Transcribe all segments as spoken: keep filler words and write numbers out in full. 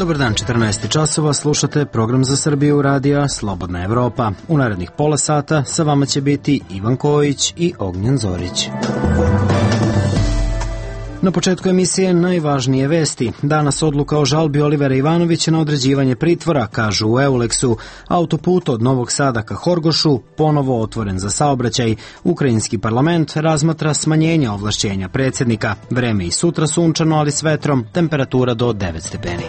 Dobar dan, četrnaest časova, slušate program za Srbiju radija Slobodna Evropa. U narednih pola sata sa vama će biti Ivan Kojić i Ognjen Zorić. Na početku emisije najvažnije vesti. Danas odluka o žalbi Olivera Ivanovića na određivanje pritvora, kažu u Euleksu. Autoput od Novog Sada ka Horgošu ponovo otvoren za saobraćaj. Ukrajinski parlament razmatra smanjenja ovlašćenja predsjednika. Vreme i sutra sunčano, ali s vetrom, temperatura do devet stepeni.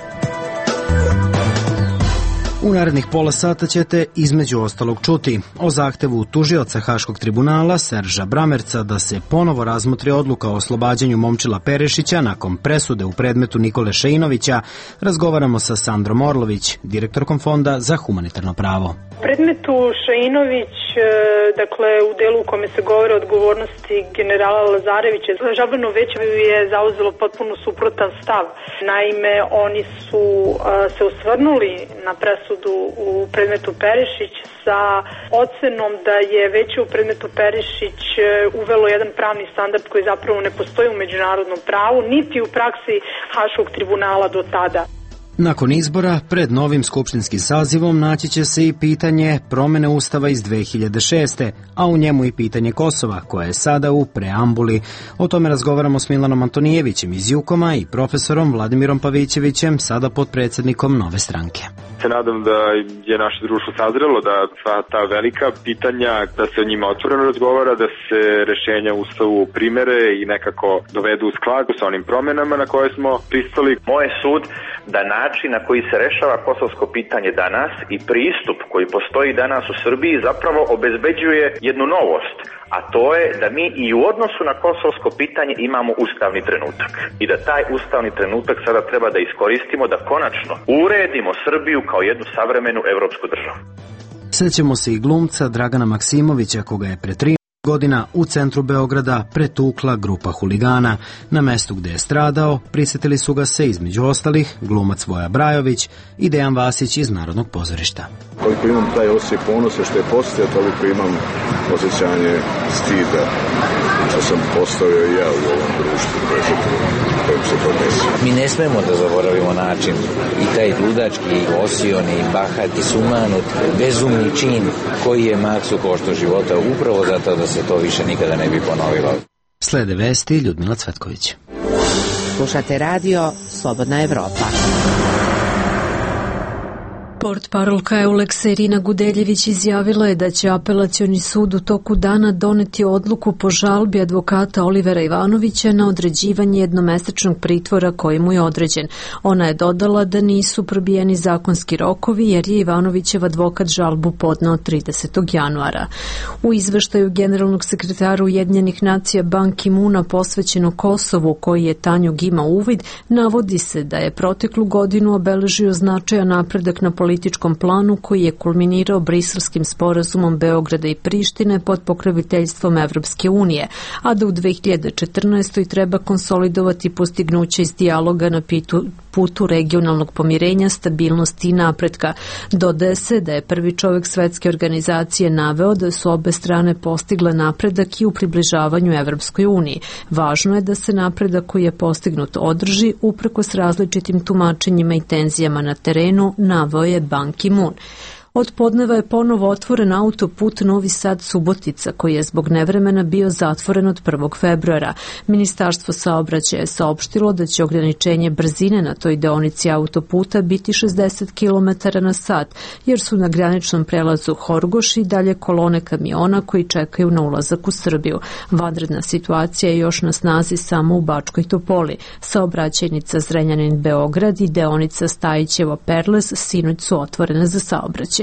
U narednih pola sata ćete između ostalog čuti o zahtevu tužioca Haškog tribunala Serža Bramerca da se ponovo razmotri odluka o oslobađanju Momčila Perešića nakon presude u predmetu Nikole Šeinovića. Razgovaramo sa Sandrom Orlović, direktorkom Fonda za humanitarno pravo. U predmetu Šeinović, dakle u delu u kome se govore o odgovornosti generala Lazarevića, žalbeno veće je zauzelo potpuno suprotan stav. Naime, oni su se osvrnuli na presudu u predmetu Perišić sa ocenom da je veće u predmetu Perišić uvelo jedan pravni standard koji zapravo ne postoji u međunarodnom pravu, niti u praksi Haškog tribunala do tada. Nakon izbora, pred novim skupštinskim sazivom naći će se i pitanje promene Ustava iz dve hiljade šeste. a u njemu i pitanje Kosova, koje je sada u preambuli. O tome razgovaramo s Milanom Antonijevićem iz Jukoma i profesorom Vladimirom Pavićevićem, sada podpredsjednikom Nove stranke. Se nadam da je naše društvo sazrelo da sva ta velika pitanja, da se o njima otvoreno razgovara, da se rešenja u Ustavu primere i nekako dovedu u skladu sa onim promjenama na koje smo pristali. Moj sud da način na koji se rešava kosovsko pitanje danas i pristup koji postoji danas u Srbiji zapravo obezbeđuje jednu novost, a to je da mi i u odnosu na kosovsko pitanje imamo ustavni trenutak i da taj ustavni trenutak sada treba da iskoristimo da konačno uredimo Srbiju kao jednu savremenu evropsku državu. Sjećamo se i glumca Dragana Maksimovića, koga je pre tri godina u centru Beograda pretukla grupa huligana. Na mestu gde je stradao prisjetili su ga se između ostalih glumac Voja Brajović i Dejan Vasić iz Narodnog pozorišta. Koliko imam taj osjećaj ponosa što je postao, toliko imam osjećanje stida što sam postavio i ja u ovom društvu koje se, kojim se to desilo. Mi ne smemo da zaboravimo način i taj ludački, osioni, bahati, sumanut, bezumni čin koji je Maksu koštao života upravo zato da se to više nikada ne bi ponovilo. Slede vesti Ljudmila Cvetković. Slušate radio Slobodna Evropa. Portparolka Euleksa Irina Gudeljević izjavila je da će apelacioni sud u toku dana doneti odluku po žalbi advokata Olivera Ivanovića na određivanje jednomesečnog pritvora koji mu je određen. Ona je dodala da nisu probijeni zakonski rokovi jer je Ivanovićev advokat žalbu podneo tridesetog januara. U izveštaju generalnog sekretara Ujedinjenih nacija Ban Ki-moona posvećeno Kosovu, koji je Tanjug ima uvid, navodi se da je proteklu godinu obeležio značajan napredak na političkom planu koji je kulminirao Briselskim sporazumom Beograda i Prištine pod pokroviteljstvom Evropske unije, a da u dve hiljade četrnaestoj treba konsolidovati postignuće iz dijaloga na pitu putu regionalnog pomirenja, stabilnosti i napretka. Dodaje se da je prvi čovjek svetske organizacije naveo da su obe strane postigle napredak i u približavanju Evropskoj uniji. Važno je da se napredak koji je postignut održi uprkos različitim tumačenjima i tenzijama na terenu, naveo je Ban Ki-moon. Od podneva je ponovo otvoren autoput Novi Sad-Subotica, koji je zbog nevremena bio zatvoren od prvog februara. Ministarstvo saobraćaja je saopštilo da će ograničenje brzine na toj deonici autoputa biti šezdeset kilometara na sat, jer su na graničnom prelazu Horgoš i dalje kolone kamiona koji čekaju na ulazak u Srbiju. Vanredna situacija je još na snazi samo u Bačkoj Topoli. Saobraćajnica Zrenjanin-Beograd i deonica Stajićevo-Perles sinoć su otvorene za saobraćaj.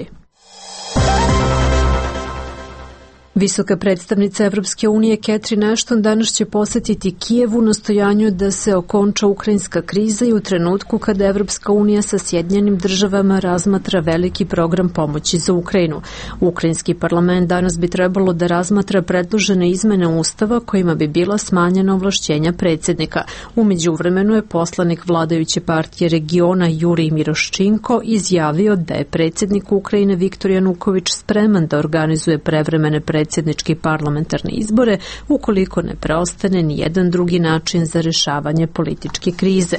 Visoka predstavnica Evropske unije Catherine Ashton danas će posjetiti Kijev u nastojanju da se okonča ukrajinska kriza i u trenutku kada Evropska unija sa Sjedinjenim državama razmatra veliki program pomoći za Ukrajinu. Ukrajinski parlament danas bi trebalo da razmatra predložene izmene Ustava kojima bi bila smanjena ovlašćenja predsjednika. U međuvremenu je poslanik vladajuće partije regiona Jurij Miroščinko izjavio da je predsjednik Ukrajine Viktor Januković spreman da organizuje prevremene predsjednike predsjedničke i parlamentarne izbore ukoliko ne preostane ni jedan drugi način za rešavanje političke krize.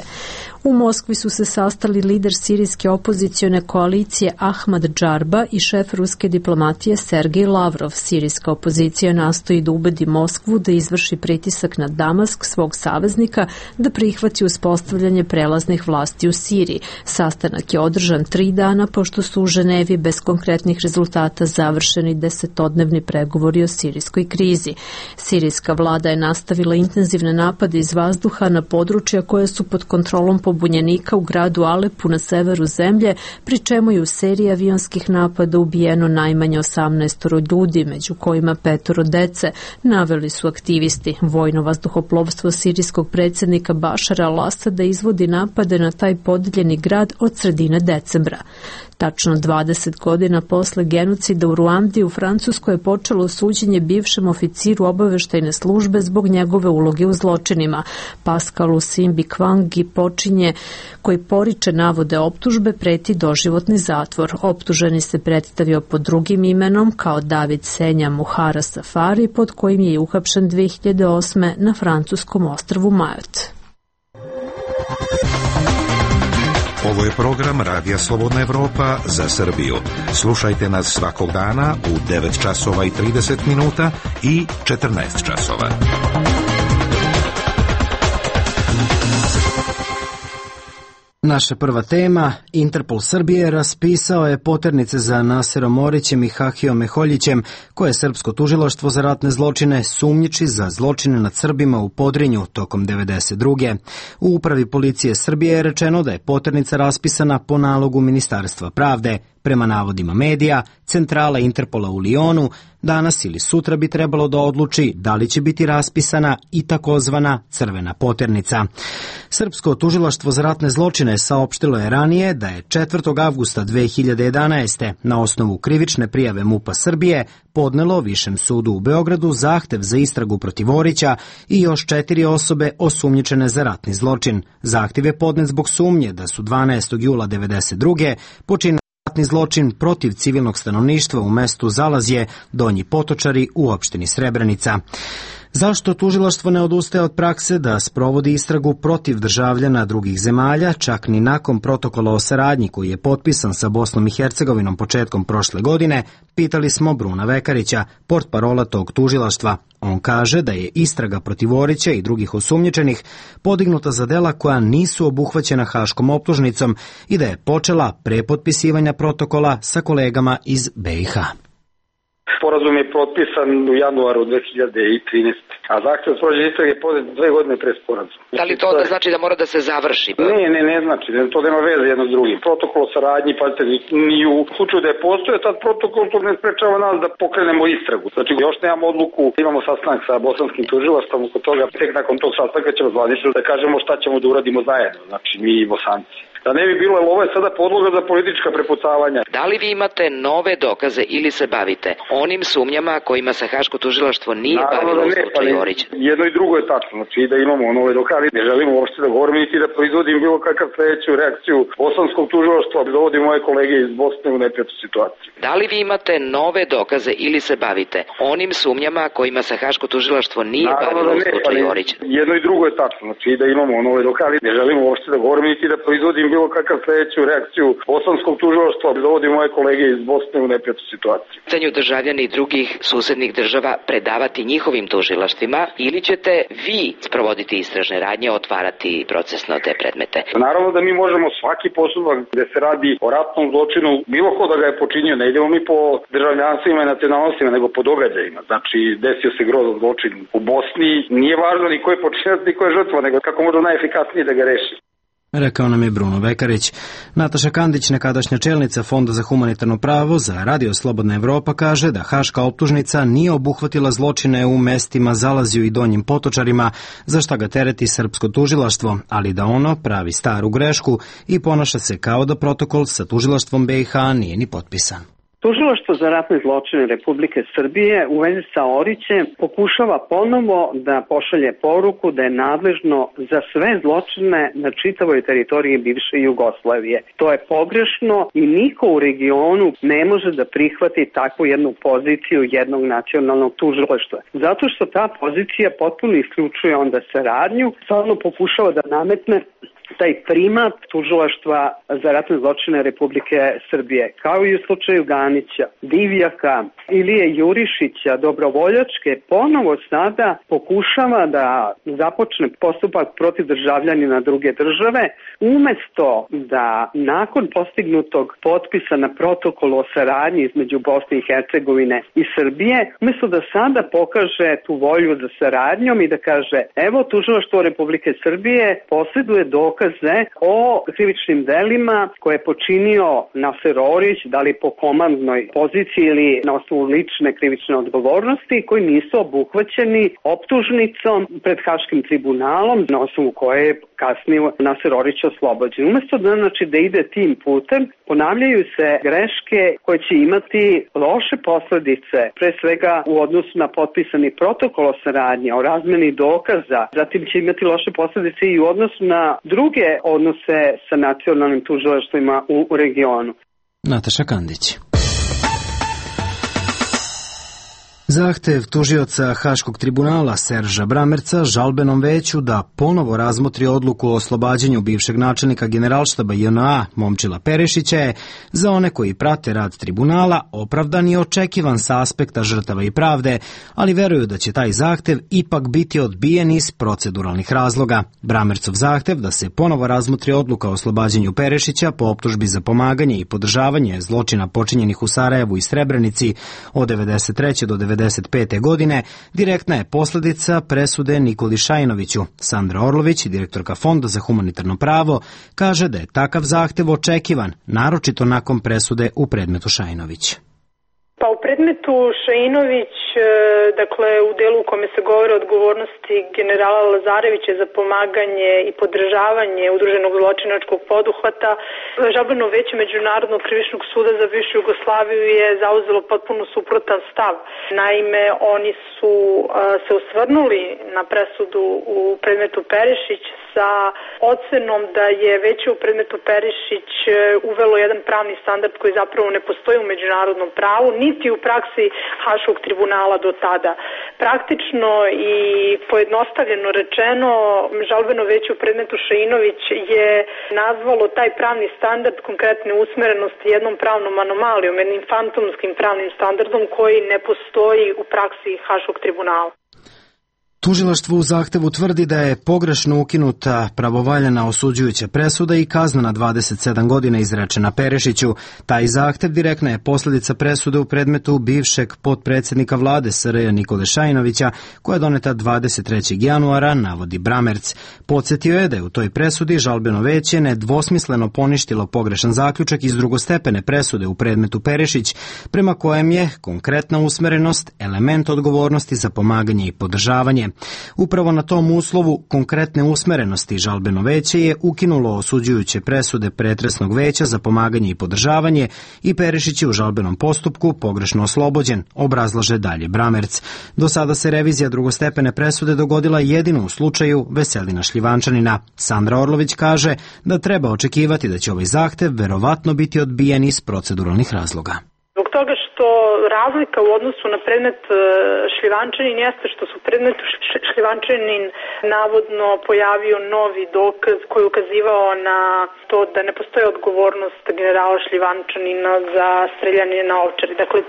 U Moskvi su se sastali lider sirijske opozicione koalicije Ahmad Džarba i šef ruske diplomatije Sergej Lavrov. Sirijska opozicija nastoji da ubedi Moskvu da izvrši pritisak na Damask, svog saveznika, da prihvati uspostavljanje prelaznih vlasti u Siriji. Sastanak je održan tri dana pošto su u Ženevi bez konkretnih rezultata završeni desetodnevni pregovori o sirijskoj krizi. Sirijska vlada je nastavila intenzivne napade iz vazduha na područja koje su pod kontrolom pobunjenika u gradu Alepu na severu zemlje, pri čemu je u seriji avionskih napada ubijeno najmanje osamnaest ljudi, među kojima petoro dece, naveli su aktivisti. Vojno vazduhoplovstvo sirijskog predsjednika Bašara al-Asada izvodi napade na taj podeljeni grad od sredine decembra. Tačno dvadeset godina posle genocida u Ruandi u Francuskoj je počelo suđenje bivšem oficiru obaveštajne službe zbog njegove uloge u zločinima. Pascalu Simbi Kwangi počinje, koji poriče navode optužbe, preti doživotni zatvor. Optuženi se predstavio pod drugim imenom kao David Senja Muhara Safari, pod kojim je uhapšen dve hiljade osme na francuskom ostrvu Mayotte. Ovo je program Radija Slobodna Evropa za Srbiju. Slušajte nas svakog dana u devet časova i trideset minuta i četrnaest časova. Naša prva tema, Interpol Srbije raspisao je poternice za Naserom Orićem i Hahijom Meholjićem, koje srpsko tužilaštvo za ratne zločine sumnjiči za zločine nad Srbima u Podrinju tokom devedeset druge. U upravi policije Srbije je rečeno da je poternica raspisana po nalogu Ministarstva pravde. Prema navodima medija, centrala Interpola u Lijonu danas ili sutra bi trebalo da odluči da li će biti raspisana i takozvana crvena poternica. Srpsko tužilaštvo za ratne zločine saopštilo je ranije da je četvrtog avgusta dve hiljade jedanaeste. na osnovu krivične prijave MUP-a Srbije podnelo Višem sudu u Beogradu zahtev za istragu protiv Orića i još četiri osobe osumnjičene za ratni zločin. Zahtev je podnet zbog sumnje da su dvanaestog jula devedeset druge. počinili ratni zločin protiv civilnog stanovništva u mestu Zalazje, Donji Potočari u opštini Srebrenica. Zašto tužilaštvo ne odustaje od prakse da sprovodi istragu protiv državljana drugih zemalja, čak ni nakon protokola o saradnji koji je potpisan sa Bosnom i Hercegovinom početkom prošle godine, pitali smo Bruna Vekarića, portparola tog tužilaštva. On kaže da je istraga protiv Orića i drugih osumnjičenih podignuta za dela koja nisu obuhvaćena Haškom optužnicom i da je počela pre potpisivanja protokola sa kolegama iz be i ha. Sporazum je potpisan u januaru dve hiljade trinaeste. A zahtev za sprovođenje istrage je podnet dve godine pre sporazuma. Da li to onda znači da mora da se završi? Ne, ne, ne znači. To nema veze jedno s drugim. Protokol o saradnji, pazite, ni u slučaju da je postoje tad protokol, to ne sprečava nas da pokrenemo istragu. Znači, još nemamo odluku, imamo sastanak sa bosanskim tužilaštvom oko toga. Tek nakon tog sastanka ćemo zvanično da kažemo šta ćemo da uradimo zajedno. Znači, mi i Bosanci. Da ne bi bilo, jer ovo je sada podloga za politička prepucavanja. Da li vi imate nove dokaze ili se bavite onim sumnjama kojima se Haško tužilaštvo nije Naravno bavilo u slučaju Orića? Jedno i drugo je tačno, znači da imamo nove dokaze. Ne želimo uopšte da govorimo niti da proizvodim bilo kakav sledeću reakciju bosanskog tužilaštva, da dovodim moje kolege iz Bosne u neprijatnu situaciju. Da li vi imate nove dokaze ili se bavite onim sumnjama kojima se Haško tužilaštvo nije Naravno bavilo u slučaju Orića? Jedno i drugo je tačno, znači da imamo nove dokaze. Ne želimo uopšte da govorimo niti da proizvodim bilo kakav sledeću reakciju bosanskog tužilaštva, da dovodim moje kolege iz Bosne u neprijatnu situaciju. Pitanju državljani drugih susednih država predavati njihovim tužilaštvima ili ćete vi sprovoditi istražne radnje, otvarati procesno te predmete? Naravno da mi možemo svaki postupak gde se radi o ratnom zločinu, bilo ko da ga je počinio, ne idemo mi po državljanstvima i nacionalnostima, nego po događajima. Znači, desio se grozan zločin u Bosni, nije važno ni ko je počinac, ni ko je žrtva, nego kako možda najefikasnije da ga reši. Rekao nam je Bruno Vekarić. Nataša Kandić, nekadašnja čelnica Fonda za humanitarno pravo za Radio Slobodna Evropa, kaže da Haška optužnica nije obuhvatila zločine u mestima Zalazju i Donjim Potočarima, za šta ga tereti srpsko tužilaštvo, ali da ono pravi staru grešku i ponaša se kao da protokol sa tužilaštvom be i ha nije ni potpisan. Tužilaštvo za ratne zločine Republike Srbije u vezi sa Orićem pokušava ponovo da pošalje poruku da je nadležno za sve zločine na čitavoj teritoriji bivše Jugoslavije. To je pogrešno i niko u regionu ne može da prihvati takvu jednu poziciju jednog nacionalnog tužilaštva. Zato što ta pozicija potpuno isključuje onda saradnju, stvarno pokušava da nametne taj primat tužilaštva za ratne zločine Republike Srbije, kao i u slučaju Ganića, Divjaka, Ilije Jurišića, Dobrovoljačke, ponovo sada pokušava da započne postupak protiv državljanina druge države, umesto da nakon postignutog potpisa na protokolu o saradnji između Bosne i Hercegovine i Srbije, umesto da sada pokaže tu volju za saradnjom i da kaže evo tužilaštvo Republike Srbije posjeduje dokaz o krivičnim delima koje je počinio Naser Orić, da li po komandnoj poziciji ili na osnovu lične krivične odgovornosti, koji nisu obuhvaćeni optužnicom pred Haškim tribunalom, na osnovu koje je kasnije Naser Orić oslobođen. Umesto da, znači, da ide tim putem, ponavljaju se greške koje će imati loše posledice, pre svega u odnosu na potpisani protokol o saradnji, o razmeni dokaza, zatim će imati loše posledice i u odnosu na druge odnose sa nacionalnim tužilaštvima u regionu. Nataša Kandić. Zahtev tužioca Haškog tribunala Serža Bramerca žalbenom veću da ponovo razmotri odluku o oslobađanju bivšeg načelnika Generalštaba J N A Momčila Perešića je za one koji prate rad tribunala opravdan i očekivan sa aspekta žrtava i pravde, ali veruju da će taj zahtev ipak biti odbijen iz proceduralnih razloga. Bramercov zahtev da se ponovo razmotri odluka o oslobađanju Perešića po optužbi za pomaganje i podržavanje zločina počinjenih u Sarajevu i Srebrenici od devedeset treće do devedeset pete godine direktna je posledica presude Nikoli Šajnoviću. Sandra Orlović, direktorka Fonda za humanitarno pravo, kaže da je takav zahtev očekivan, naročito nakon presude u predmetu Šajnović. Pa u predmetu Šajinović, dakle u delu u kome se govori o odgovornosti generala Lazarevića za pomaganje i podržavanje udruženog zločinačkog poduhvata, žalbeno veće Međunarodnog krivičnog suda za bivšu Jugoslaviju je zauzelo potpuno suprotan stav. Naime, oni su se osvrnuli na presudu u predmetu Perišić sa ocenom da je već u predmetu Perišić uvelo jedan pravni standard koji zapravo ne postoji u međunarodnom pravu, niti u praksi Haškog tribunala do tada. Praktično i pojednostavljeno rečeno, žalbeno veće u predmetu Šajinović je nazvalo taj pravni standard konkretne usmerenosti jednom pravnom anomalijom, jednim fantomskim pravnim standardom koji ne postoji u praksi Haškog tribunala. Tužilaštvo u zahtevu tvrdi da je pogrešno ukinuta pravovaljana osuđujuća presuda i kazna na dvadeset sedam godina izrečena Perešiću. Taj zahtev direktna je posljedica presude u predmetu bivšeg potpredsjednika vlade S R J Nikole Šajnovića, koja je doneta dvadeset trećeg januara, navodi Bramerc. Podsjetio je da je u toj presudi žalbeno veće nedvosmisleno poništilo pogrešan zaključak iz drugostepene presude u predmetu Perešić, prema kojem je konkretna usmerenost element odgovornosti za pomaganje i podržavanje. Upravo na tom uslovu konkretne usmerenosti žalbeno veće je ukinulo osuđujuće presude pretresnog veća za pomaganje i podržavanje i Perišić je u žalbenom postupku pogrešno oslobođen, obrazlaže dalje Bramerc. Do sada se revizija drugostepene presude dogodila jedino u slučaju Veselina Šljivančanina. Sandra Orlović kaže da treba očekivati da će ovaj zahtev verovatno biti odbijen iz proceduralnih razloga. Zbog toga što razlika u odnosu na predmet Šljivančanin jeste što su predmetu Šljivančanin navodno pojavio novi dokaz koji je ukazivao na to da ne postoji odgovornost generala Šljivančanina za streljanje na Ovčari. Dakle,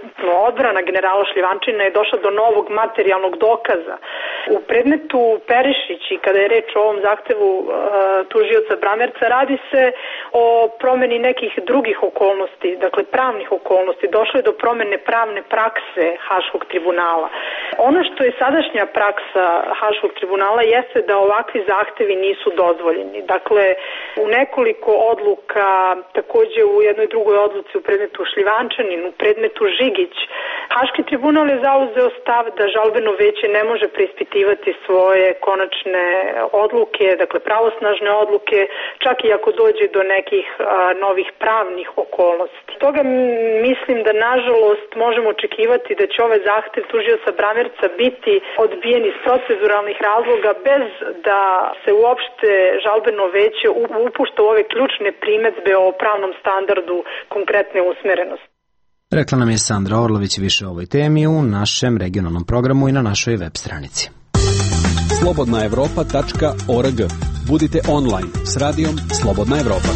odbrana generala Šljivančanina je došla do novog materijalnog dokaza. U predmetu Perišić i kada je reč o ovom zahtevu uh, tužioca Bramerca, radi se o promeni nekih drugih okolnosti, dakle pravnih okolnosti. Došlo je do promene pravne prakse Haškog tribunala. Ono što je sadašnja praksa Haškog tribunala jeste da ovakvi zahtevi nisu dozvoljeni. Dakle, u nekoliko odluka, takođe u jednoj drugoj odluci u predmetu Šljivančanin, u predmetu Žigić, Haški tribunal je zauzeo stav da žalbeno veće ne može preispitivati svoje konačne odluke, dakle pravosnažne odluke, čak i ako dođe do nekih a, novih pravnih okolnosti. Toga mislim da nažalost možemo očekivati da će ovaj zahtev tužioca Bramerca biti odbijen iz proceduralnih razloga bez da se uopšte žalbeno veće upušta u ove ključne primedbe o pravnom standardu konkretne usmerenosti. Rekla nam je Sandra Orlović. Više o ovoj temi u našem regionalnom programu i na našoj web stranici. slobodna evropa tačka org. Budite online s radijom Slobodna Evropa.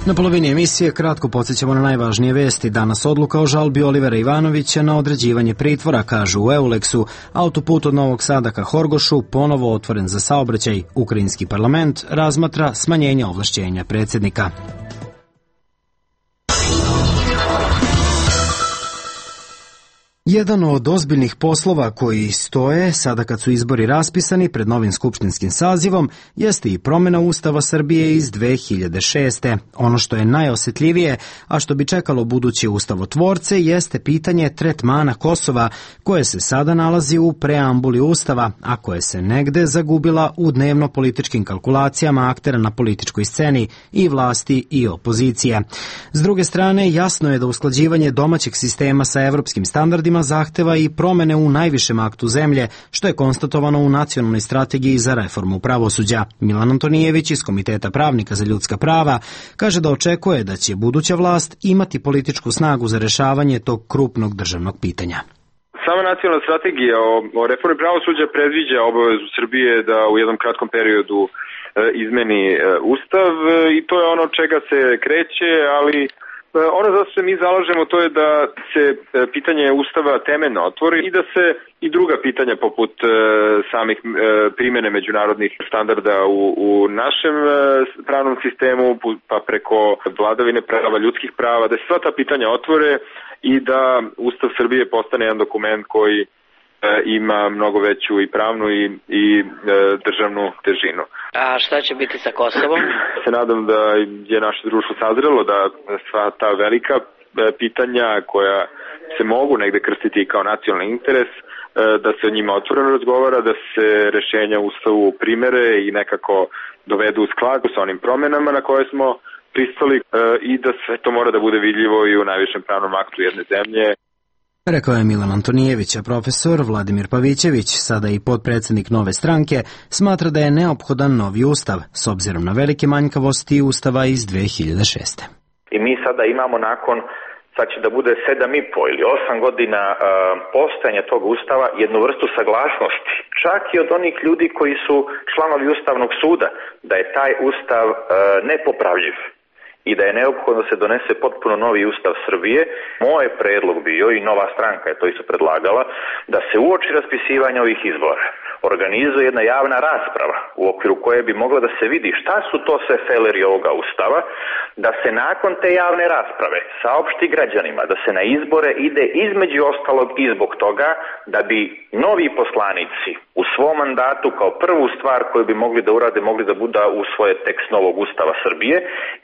Na polovini emisije kratko podsjećamo na najvažnije vesti. Danas odluka o žalbi Olivera Ivanovića na određivanje pritvora, kažu u Euleksu. Autoput od Novog Sada ka Horgošu ponovo otvoren za saobraćaj. Ukrajinski parlament razmatra smanjenje ovlašćenja predsjednika. Jedan od ozbiljnih poslova koji stoje sada kad su izbori raspisani pred novim skupštinskim sazivom jeste i promjena Ustava Srbije iz dve hiljade šeste. Ono što je najosjetljivije, a što bi čekalo buduće ustavotvorce, jeste pitanje tretmana Kosova, koje se sada nalazi u preambuli Ustava, a koje se negde zagubila u dnevno-političkim kalkulacijama aktera na političkoj sceni i vlasti i opozicije. S druge strane, jasno je da usklađivanje domaćeg sistema sa evropskim standardima zahteva i promene u najvišem aktu zemlje, što je konstatovano u nacionalnoj strategiji za reformu pravosuđa. Milan Antonijević iz Komiteta pravnika za ljudska prava kaže da očekuje da će buduća vlast imati političku snagu za rešavanje tog krupnog državnog pitanja. Sama nacionalna strategija o, o reformi pravosuđa predviđa obavezu Srbije da u jednom kratkom periodu e, izmeni e, Ustav e, i to je ono čega se kreće, ali ono za što se mi zalažemo to je da se pitanje Ustava temeljno otvori i da se i druga pitanja poput e, samih e, primjene međunarodnih standarda u, u našem e, pravnom sistemu, pa preko vladavine prava, ljudskih prava, da se sva ta pitanja otvore i da Ustav Srbije postane jedan dokument koji e, ima mnogo veću i pravnu i, i e, državnu težinu. A šta će biti sa Kosovom? Se nadam da je naše društvo sazrelo da sva ta velika pitanja koja se mogu negde krstiti kao nacionalni interes, da se o njima otvoreno razgovara, da se rešenja u Ustavu primere i nekako dovedu u skladu sa onim promenama na koje smo pristali i da sve to mora da bude vidljivo i u najvišem pravnom aktu jedne zemlje. Rekao je Milan Antonijević, a profesor Vladimir Pavićević, sada i potpredsjednik Nove stranke, smatra da je neophodan novi ustav, s obzirom na velike manjkavosti Ustava iz dve hiljade šeste. I mi sada imamo nakon, sad će da bude sedam i po ili osam godina uh, postojanja tog Ustava, jednu vrstu saglasnosti, čak i od onih ljudi koji su članovi Ustavnog suda, da je taj Ustav uh, nepopravljiv i da je neophodno da se donese potpuno novi Ustav Srbije. Moj predlog bio, i Nova stranka je to isto predlagala, da se uoči raspisivanja ovih izbora organizuje jedna javna rasprava u okviru koje bi mogla da se vidi šta su to sve feleri ovoga Ustava, da se nakon te javne rasprave saopšti građanima da se na izbore ide između ostalog i zbog toga da bi novi poslanici u svom mandatu kao prvu stvar koju bi mogli da urade, mogli da budu usvoje tekst novog Ustava Srbije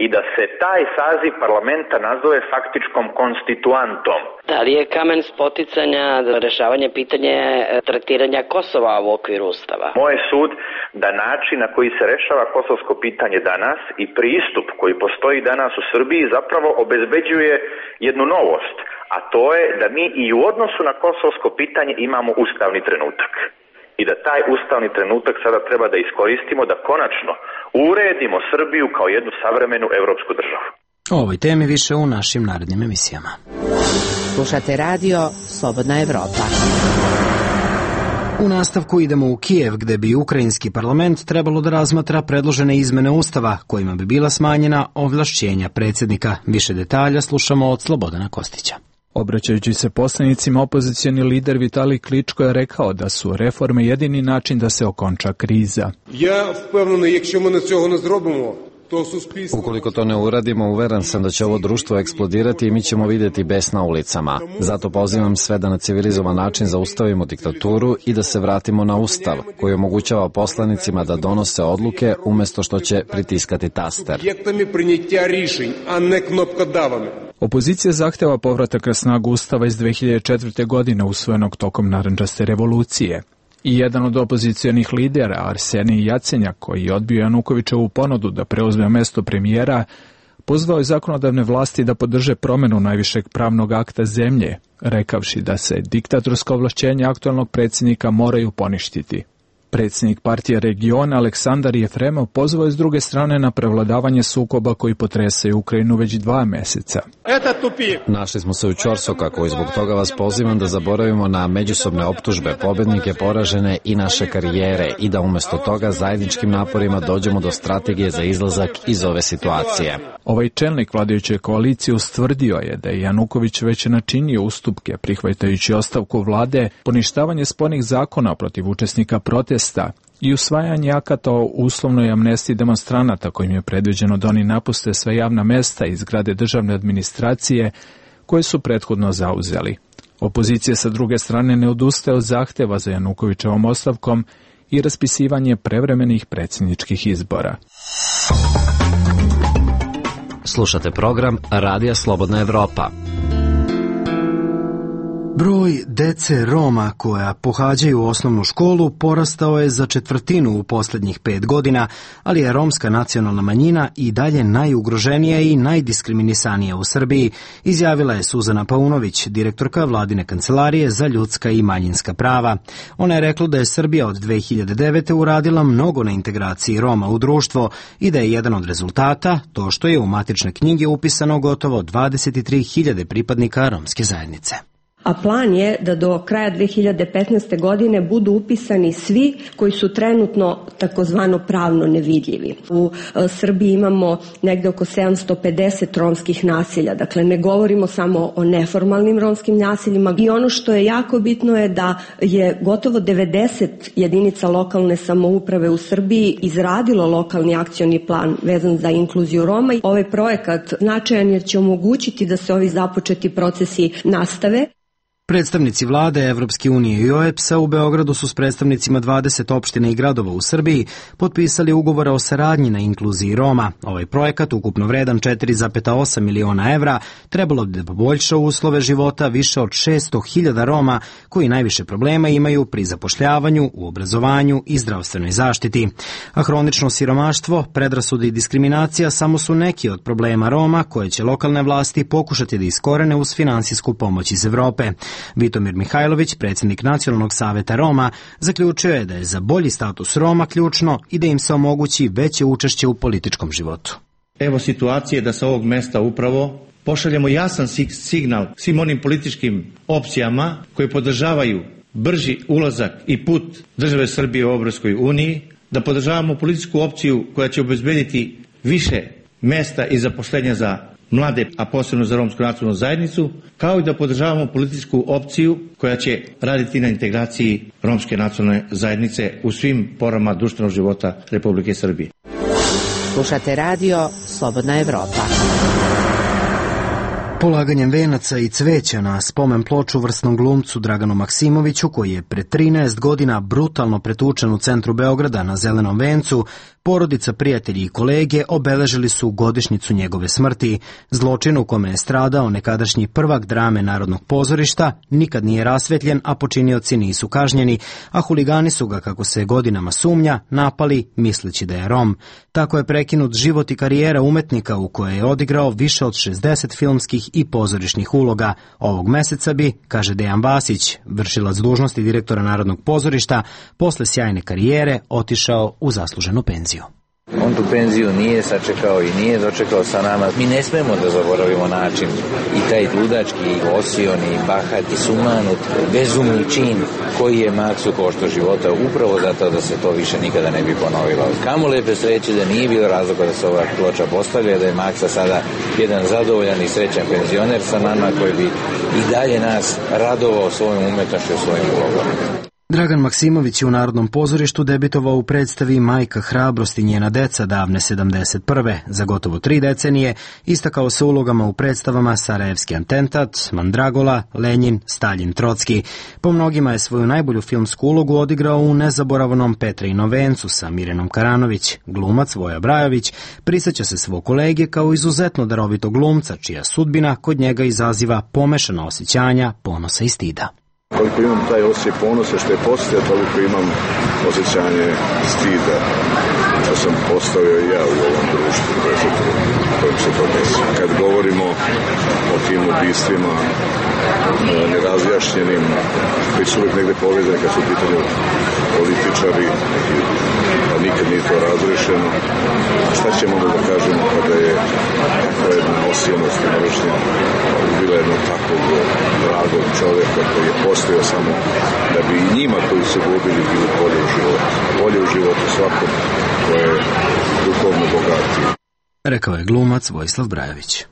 i da se taj saziv parlamenta nazove faktičkom konstituantom. Da li je kamen spoticanja za rešavanje pitanja traktiranja Kosova u okviru Ustava? Moj sud da način na koji se rešava kosovsko pitanje danas i pristup koji postoji danas u Srbiji zapravo obezbeđuje jednu novost, a to je da mi i u odnosu na kosovsko pitanje imamo ustavni trenutak. I da taj ustavni trenutak sada treba da iskoristimo da konačno uredimo Srbiju kao jednu savremenu evropsku državu. O ovoj temi više u našim narednim emisijama. Slušate radio Slobodna Evropa. U nastavku idemo u Kijev, gde bi ukrajinski parlament trebalo da razmatra predložene izmene Ustava, kojima bi bila smanjena ovlašćenja predsjednika. Više detalja slušamo od Slobodana Kostića. Obraćajući se poslanicima, opozicioni lider Vitalij Kličko je rekao da su reforme jedini način da se okonča kriza. Ja впевнений, якщо ми цього не зробимо, ukoliko to ne uradimo, uveren sam da će ovo društvo eksplodirati i mi ćemo vidjeti bes na ulicama. Zato pozivam sve da na civilizovan način zaustavimo diktaturu i da se vratimo na Ustav, koji omogućava poslanicima da donose odluke umjesto što će pritiskati taster. Opozicija zahteva povratak na snagu Ustava iz dve hiljade četvrte. godine usvojenog tokom narandžaste revolucije. I jedan od opozicijonih lidera, Arsenij Jacenjak, koji je odbio Janukovićevu ponudu da preuzme mesto premijera, pozvao je zakonodavne vlasti da podrže promenu najvišeg pravnog akta zemlje, rekavši da se diktatorska ovlašćenja aktualnog predsjednika moraju poništiti. Predsjednik partije regiona Aleksandar Jefremov pozvao je s druge strane na prevladavanje sukoba koji potresaju Ukrajinu već dva meseca. Našli smo se u ćorsokako i zbog toga vas pozivam da zaboravimo na međusobne optužbe, pobednike, poražene i naše karijere i da umjesto toga zajedničkim naporima dođemo do strategije za izlazak iz ove situacije. Ovaj čelnik vladajuće koalicije ustvrdio je da je Januković već načinio ustupke prihvatajući ostavku vlade, poništavanje spornih zakona protiv učesnika protesta i usvajanje akata o uslovnoj amnestiji demonstranata kojim je predviđeno da oni napuste sve javna mesta i zgrade državne administracije koje su prethodno zauzeli. Opozicija sa druge strane ne odustaje od zahteva za Janukovićevom ostavkom i raspisivanje prevremenih predsjedničkih izbora. Slušate program Radija Slobodna Evropa. Broj dece Roma koja pohađaju osnovnu školu porastao je za četvrtinu u posljednjih pet godina, ali je romska nacionalna manjina i dalje najugroženija i najdiskriminisanija u Srbiji, izjavila je Suzana Paunović, direktorka Vladine kancelarije za ljudska i manjinska prava. Ona je rekla da je Srbija od dve hiljade devete. uradila mnogo na integraciji Roma u društvo i da je jedan od rezultata to što je u matične knjige upisano gotovo dvadeset tri hiljade pripadnika romske zajednice. A plan je da do kraja dve hiljade petnaeste. godine budu upisani svi koji su trenutno takozvano pravno nevidljivi. U Srbiji imamo negde oko sedamsto pedeset romskih naselja, dakle ne govorimo samo o neformalnim romskim naseljima i ono što je jako bitno je da je gotovo devedeset jedinica lokalne samouprave u Srbiji izradilo lokalni akcioni plan vezan za inkluziju Roma. Ovaj projekat značajan jer će omogućiti da se ovi započeti procesi nastave. Predstavnici vlade, Evropske unije i O E B S-a u Beogradu su s predstavnicima dvadeset opština i gradova u Srbiji potpisali ugovore o saradnji na inkluziji Roma. Ovaj projekat, ukupno vredan četiri zarez osam miliona evra, trebalo bi da poboljša uslove života više od šesto hiljada Roma koji najviše problema imaju pri zapošljavanju, u obrazovanju i zdravstvenoj zaštiti. A hronično siromaštvo, predrasude i diskriminacija samo su neki od problema Roma koje će lokalne vlasti pokušati da iskorene uz finansijsku pomoć iz Evrope. Vitomir Mihajlović, predsjednik Nacionalnog saveta Roma, zaključio je da je za bolji status Roma ključno i da im se omogući veće učešće u političkom životu. Evo situacije da sa ovog mesta upravo pošaljemo jasan signal svim onim političkim opcijama koji podržavaju brži ulazak i put države Srbije u Evropskoj uniji, da podržavamo političku opciju koja će obezbediti više mesta i zaposlenja za mlade, a posebno za romsku nacionalnu zajednicu, kao i da podržavamo političku opciju koja će raditi na integraciji romske nacionalne zajednice u svim porama društvenog života Republike Srbije. Slušate radio Slobodna Evropa. Polaganjem venaca i cveća na spomen ploču vrsnom glumcu Draganu Maksimoviću, koji je pre trinaest godina brutalno pretučen u centru Beograda na Zelenom vencu, porodica, prijatelji i kolege obeležili su godišnjicu njegove smrti. Zločin u kome je stradao nekadašnji prvak drame Narodnog pozorišta nikad nije rasvetljen, a počinioci nisu kažnjeni, a huligani su ga, kako se godinama sumnja, napali misleći da je Rom. Tako je prekinut život i karijera umetnika u kojoj je odigrao više od šezdeset filmskih i pozorišnih uloga. Ovog meseca bi, kaže Dejan Vasić, vršilac dužnosti direktora Narodnog pozorišta, posle sjajne karijere otišao u zasluženu penziju. On tu penziju nije sačekao i nije dočekao sa nama. Mi ne smemo da zaboravimo način i taj ludački, osioni, bahati, sumanut, bezumni čin koji je Maksu koštao života upravo zato da se to više nikada ne bi ponovilo. Kamo lepe sreće da nije bilo razloga da se ova ploča postavlja, da je Maksa sada jedan zadovoljan i srećan penzioner sa nama koji bi i dalje nas radovao svojom umetnošću i svojim ulogom. Dragan Maksimović je u Narodnom pozorištu debitovao u predstavi Majka hrabrosti njena deca davne sedamdeset prve. Za gotovo tri decenije istakao se ulogama u predstavama Sarajevski atentat, Mandragola, Lenjin, Staljin, Trocki. Po mnogima je svoju najbolju filmsku ulogu odigrao u nezaboravnom Petrinom vencu sa Mirjanom Karanović. Glumac Voja Brajović prisjeća se svog kolege kao izuzetno darovitog glumca, čija sudbina kod njega izaziva pomešana osjećanja, ponosa i stida. Koliko imam taj osjećaj ponosa što je postao, toliko imam osjećanje stida što sam postavio i ja u ovom društvu kojim se to desi. Kad govorimo o tim ubistvima nerazjašnjenim, koji su uvijek negde povezani kad su u pitanju političari, a nikad nije to razrešeno, šta ćemo da kažemo kada je takva jedna osijenost i mržnja ubila jednog takvog dragog čoveka koji je postojao samo da bi i njima koji su gubili bili bolje u životu. Bolje u životu svakom koje je duhovno bogatiji. Rekao je glumac Vojislav Brajović.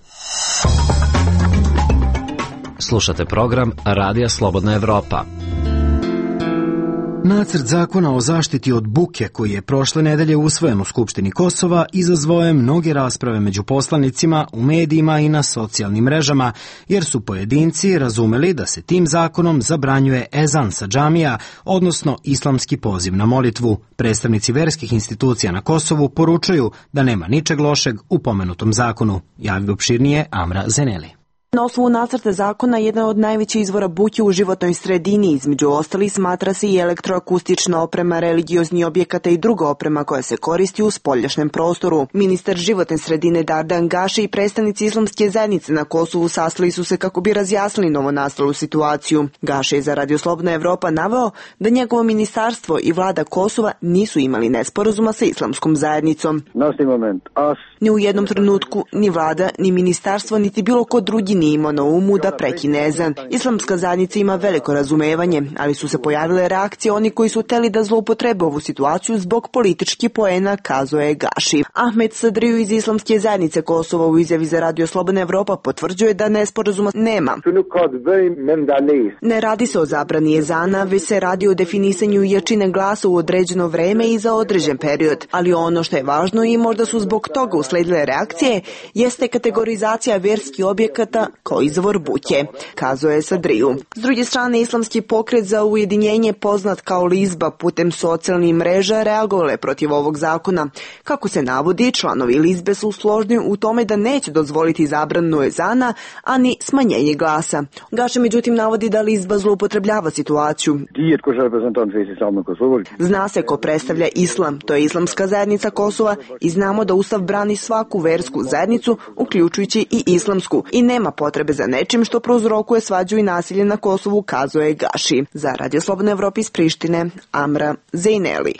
Slušate program Radija Slobodna Evropa. Nacrt zakona o zaštiti od buke koji je prošle nedelje usvojen u Skupštini Kosova izazvao je mnoge rasprave među poslanicima, u medijima i na socijalnim mrežama, jer su pojedinci razumeli da se tim zakonom zabranjuje ezan sa džamija, odnosno islamski poziv na molitvu. Predstavnici verskih institucija na Kosovu poručuju da nema ničeg lošeg u pomenutom zakonu. Javi opširnije Amra Zeneli. Na osnovu nacrta zakona, jedan od najvećih izvora buke u životnoj sredini, između ostalih, smatra se i elektroakustična oprema religiozni objekata i druga oprema koja se koristi u spoljašnjem prostoru. Ministar životne sredine Dardan Gaši i predstavnici islamske zajednice na Kosovu sastali su se kako bi razjasnili novonastalu situaciju. Gaši je za Radio Slobodna Evropa naveo da njegovo ministarstvo i vlada Kosova nisu imali nesporazuma sa islamskom zajednicom. Ni u jednom trenutku ni vlada, ni ministarstvo, niti bilo ko drugi nije imao na umu da prekine ezan. Islamska zajednica ima veliko razumevanje, ali su se pojavile reakcije oni koji su hteli da zloupotrebe ovu situaciju zbog političkih poena, kazao je Gaši. Ahmed Sadriju iz Islamske zajednice Kosova u izjavi za Radio Slobodna Evropa potvrđuje da nesporazuma nema. Ne radi se o zabrani ezana, već se radi o definisanju jačine glasa u određeno vreme i za određen period. Ali ono što je važno i možda su zbog toga usledile reakcije, jeste kategorizacija verskih objekata kao izvor buke, kazao je Sadriju. S druge strane, islamski pokret za ujedinjenje, poznat kao Lizba, putem socijalnih mreža reagovale protiv ovog zakona. Kako se navodi, članovi Lizbe su složni u tome da neće dozvoliti zabranu ezana, a ni smanjenje glasa. Gaša međutim navodi da Lizba zloupotrebljava situaciju. Zna se ko predstavlja islam, to je islamska zajednica Kosova, i znamo da Ustav brani svaku versku zajednicu, uključujući i islamsku, i nema potrebe za nečim što prouzrokuje svađu i nasilje na Kosovu, kazao je Gaši. Za Radio Slobodna Evropa iz Prištine, Amra Zejneli.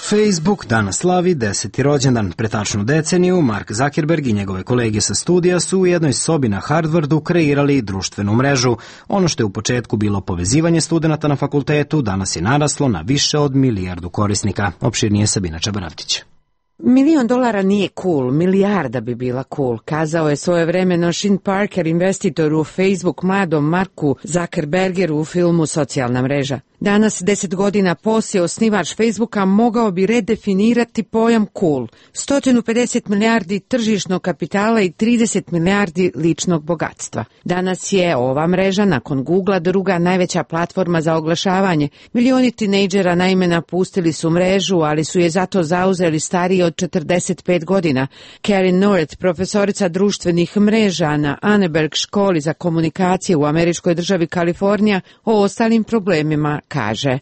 Facebook danas slavi deseti rođendan. Pre tačnu deceniju Mark Zuckerberg i njegove kolege sa studija su u jednoj sobi na Harvardu kreirali društvenu mrežu. Ono što je u početku bilo povezivanje studenata na fakultetu, danas je naraslo na više od milijardu korisnika. Opširnije Sabina Čabaravtić. Milion dolara nije cool, milijarda bi bila cool, kazao je svojevremeno Sean Parker, investitor u Facebook, mladom Marku Zuckerbergeru u filmu Socijalna mreža. Danas, deset godina poslije, osnivač Facebooka mogao bi redefinirati pojam cool. sto pedeset milijardi tržišnog kapitala i trideset milijardi ličnog bogatstva. Danas je ova mreža, nakon Googlea, druga najveća platforma za oglašavanje. Milioni tinejdžera naime napustili su mrežu, ali su je zato zauzeli stariji od četrdeset pet godina. Karen North, profesorica društvenih mreža na Anneberg školi za komunikacije u američkoj državi Kalifornija, o ostalim problemima kaže.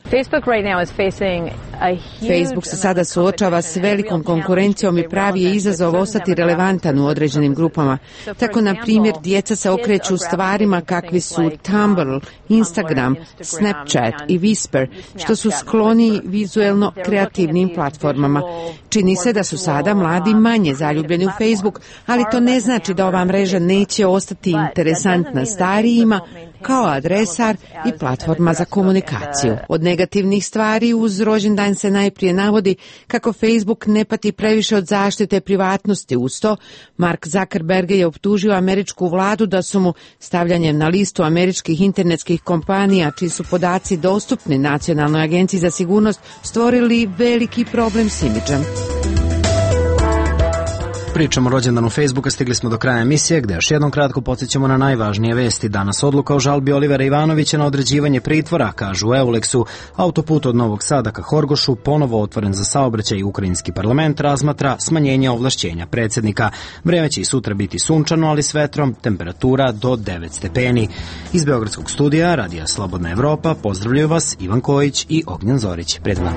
Facebook se sada suočava s velikom konkurencijom i pravi je izazov ostati relevantan u određenim grupama. Tako, na primjer, djeca se okreću stvarima kakvi su Tumblr, Instagram, Snapchat i Whisper, što su skloni vizuelno kreativnim platformama. Čini se da su sada mladi manje zaljubljeni u Facebook, ali to ne znači da ova mreža neće ostati interesantna starijima kao adresar i platforma za komunikaciju. Od negativnih stvari uz rođendan se najprije navodi kako Facebook ne pati previše od zaštite privatnosti. Uz to, Mark Zuckerberg je optužio američku vladu da su mu stavljanjem na listu američkih internetskih kompanija, čiji su podaci dostupni Nacionalnoj agenciji za sigurnost, stvorili veliki problem s imidžem. Pričamo o rođendanu Facebooka, stigli smo do kraja emisije gde još jednom kratko podsjećamo na najvažnije vesti. Danas odluka o žalbi Olivera Ivanovića na određivanje pritvora, kažu u Euleksu. Autoput od Novog Sada ka Horgošu, ponovo otvoren za saobraćaj i ukrajinski parlament razmatra smanjenje ovlašćenja predsjednika. Vreme će i sutra biti sunčano, ali s vetrom, temperatura do devet stepeni. Iz Beogradskog studija Radija Slobodna Evropa pozdravljaju vas Ivan Kojić i Ognjen Zorić. Prijatno.